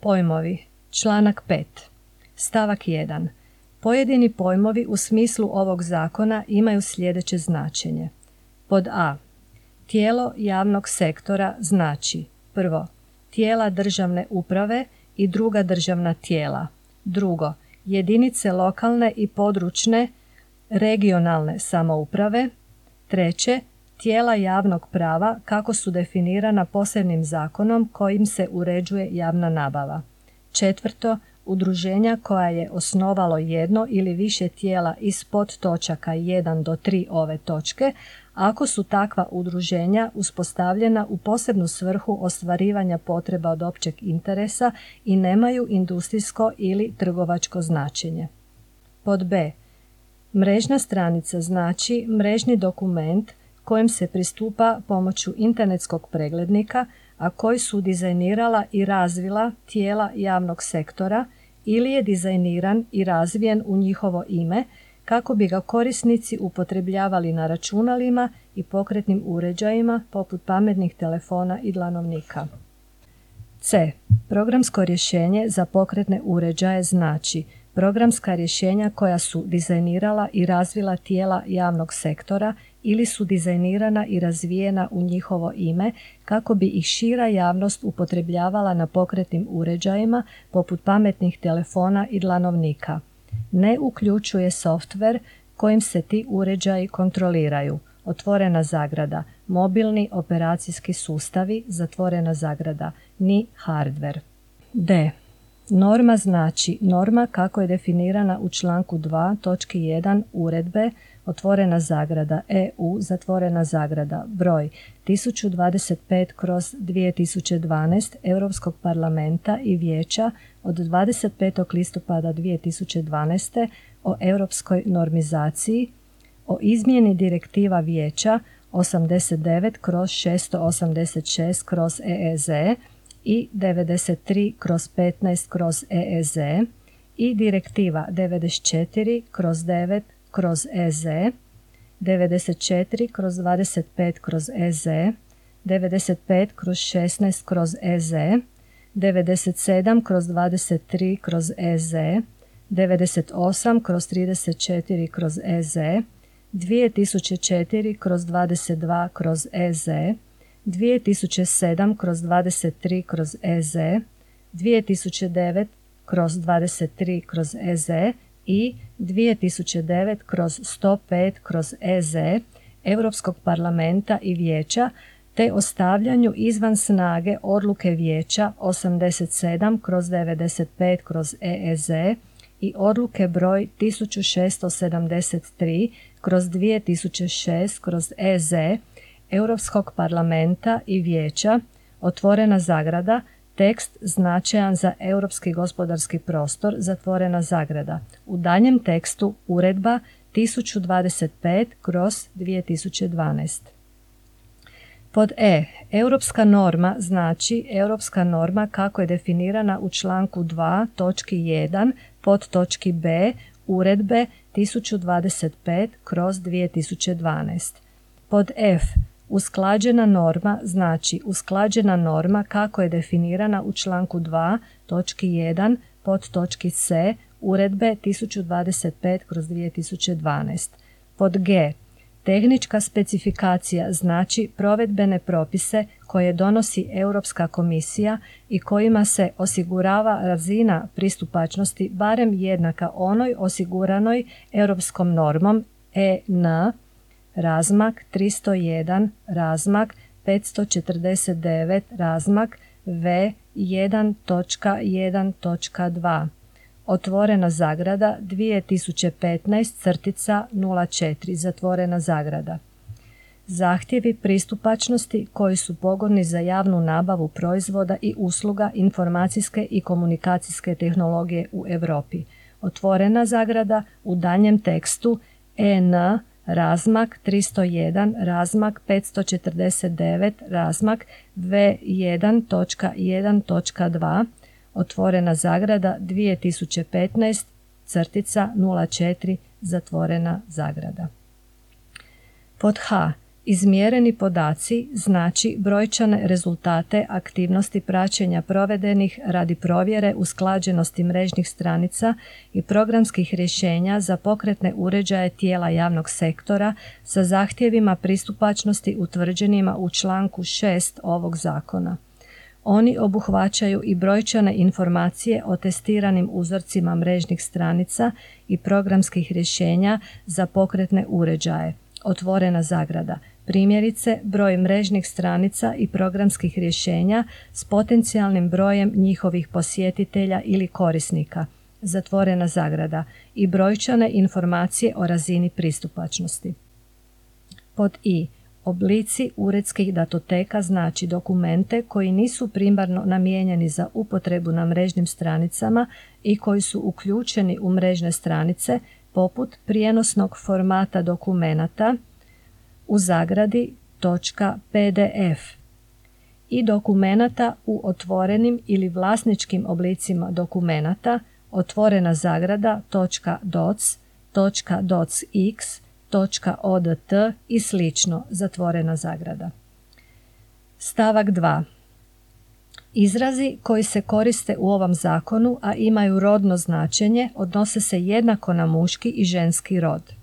Pojmovi. Članak 5. Stavak 1. Pojedini pojmovi u smislu ovog zakona imaju sljedeće značenje. Pod a. Tijelo javnog sektora znači: prvo, tijela državne uprave i druga državna tijela. Drugo, jedinice lokalne i područne regionalne samouprave. Treće, tijela javnog prava kako su definirana posebnim zakonom kojim se uređuje javna nabava. Četvrto, udruženja koja je osnovalo jedno ili više tijela iz podtočaka 1 do 3 ove točke, ako su takva udruženja uspostavljena u posebnu svrhu ostvarivanja potreba od općeg interesa i nemaju industrijsko ili trgovačko značenje. Pod b. Mrežna stranica znači mrežni dokument kojem se pristupa pomoću internetskog preglednika, a koji su dizajnirala i razvila tijela javnog sektora ili je dizajniran i razvijen u njihovo ime kako bi ga korisnici upotrebljavali na računalima i pokretnim uređajima poput pametnih telefona i dlanovnika. C. Programsko rješenje za pokretne uređaje znači programska rješenja koja su dizajnirala i razvila tijela javnog sektora ili su dizajnirana i razvijena u njihovo ime kako bi ih šira javnost upotrebljavala na pokretnim uređajima poput pametnih telefona i dlanovnika. Ne uključuje softver kojim se ti uređaji kontroliraju. Otvorena zagrada. Mobilni operacijski sustavi. Zatvorena zagrada. Ni hardware. D. Norma znači norma kako je definirana u članku 2. točki 1 uredbe, otvorena zagrada, EU, zatvorena zagrada, broj 1025/2012 Europskog parlamenta i vijeća od 25. listopada 2012. o europskoj normizaciji, o izmjeni direktiva vijeća 89/686/EEZ i 93/15/EEZ i direktiva 94/9/EZ, 94/25/EZ, 95/16/EZ, 97/23/EZ, 98/34/EZ, 2004/22/EZ, 2007/23/EZ, 2009/23/EZ i 2009/105/EZ Europskog parlamenta i vijeća te o stavljanju izvan snage odluke vijeća 87/95/EEZ i odluke broj 1673/2006/EZ Europskog parlamenta i vijeća, otvorena zagrada, tekst značajan za europski gospodarski prostor, zatvorena zagrada. U daljem tekstu uredba 1025/2012. Pod E. Europska norma znači europska norma kako je definirana u članku 2. točki 1 pod točki B uredbe 1025/2012. Pod F. Usklađena norma znači usklađena norma kako je definirana u članku 2. točki 1 pod točki C uredbe 1025/2012. Pod G. Tehnička specifikacija znači provedbene propise koje donosi Europska komisija i kojima se osigurava razina pristupačnosti barem jednaka onoj osiguranoj europskom normom EN razmak 301 razmak 549 razmak V1.1.2. Otvorena zagrada 2015/04 zatvorena zagrada. Zahtjevi pristupačnosti koji su pogodni za javnu nabavu proizvoda i usluga informacijske i komunikacijske tehnologije u Europi. Otvorena zagrada u daljnjem tekstu EN razmak 301 razmak 549 razmak V1.1.2. Otvorena zagrada 2015/04 zatvorena zagrada. Pod H. Izmjereni podaci znači brojčane rezultate aktivnosti praćenja provedenih radi provjere usklađenosti mrežnih stranica i programskih rješenja za pokretne uređaje tijela javnog sektora sa zahtjevima pristupačnosti utvrđenima u članku 6 ovog zakona. Oni obuhvaćaju i brojčane informacije o testiranim uzorcima mrežnih stranica i programskih rješenja za pokretne uređaje, otvorena zagrada, primjerice broj mrežnih stranica i programskih rješenja s potencijalnim brojem njihovih posjetitelja ili korisnika, zatvorena zagrada, i brojčane informacije o razini pristupačnosti. Pod i. Oblici uredskih datoteka znači dokumente koji nisu primarno namijenjeni za upotrebu na mrežnim stranicama i koji su uključeni u mrežne stranice poput prijenosnog formata dokumenata u zagradi .pdf i dokumenata u otvorenim ili vlasničkim oblicima dokumenata, otvorena zagrada .doc, .docx, .odt i slično, zatvorena zagrada. Stavak 2. Izrazi koji se koriste u ovom zakonu, a imaju rodno značenje, odnose se jednako na muški i ženski rod.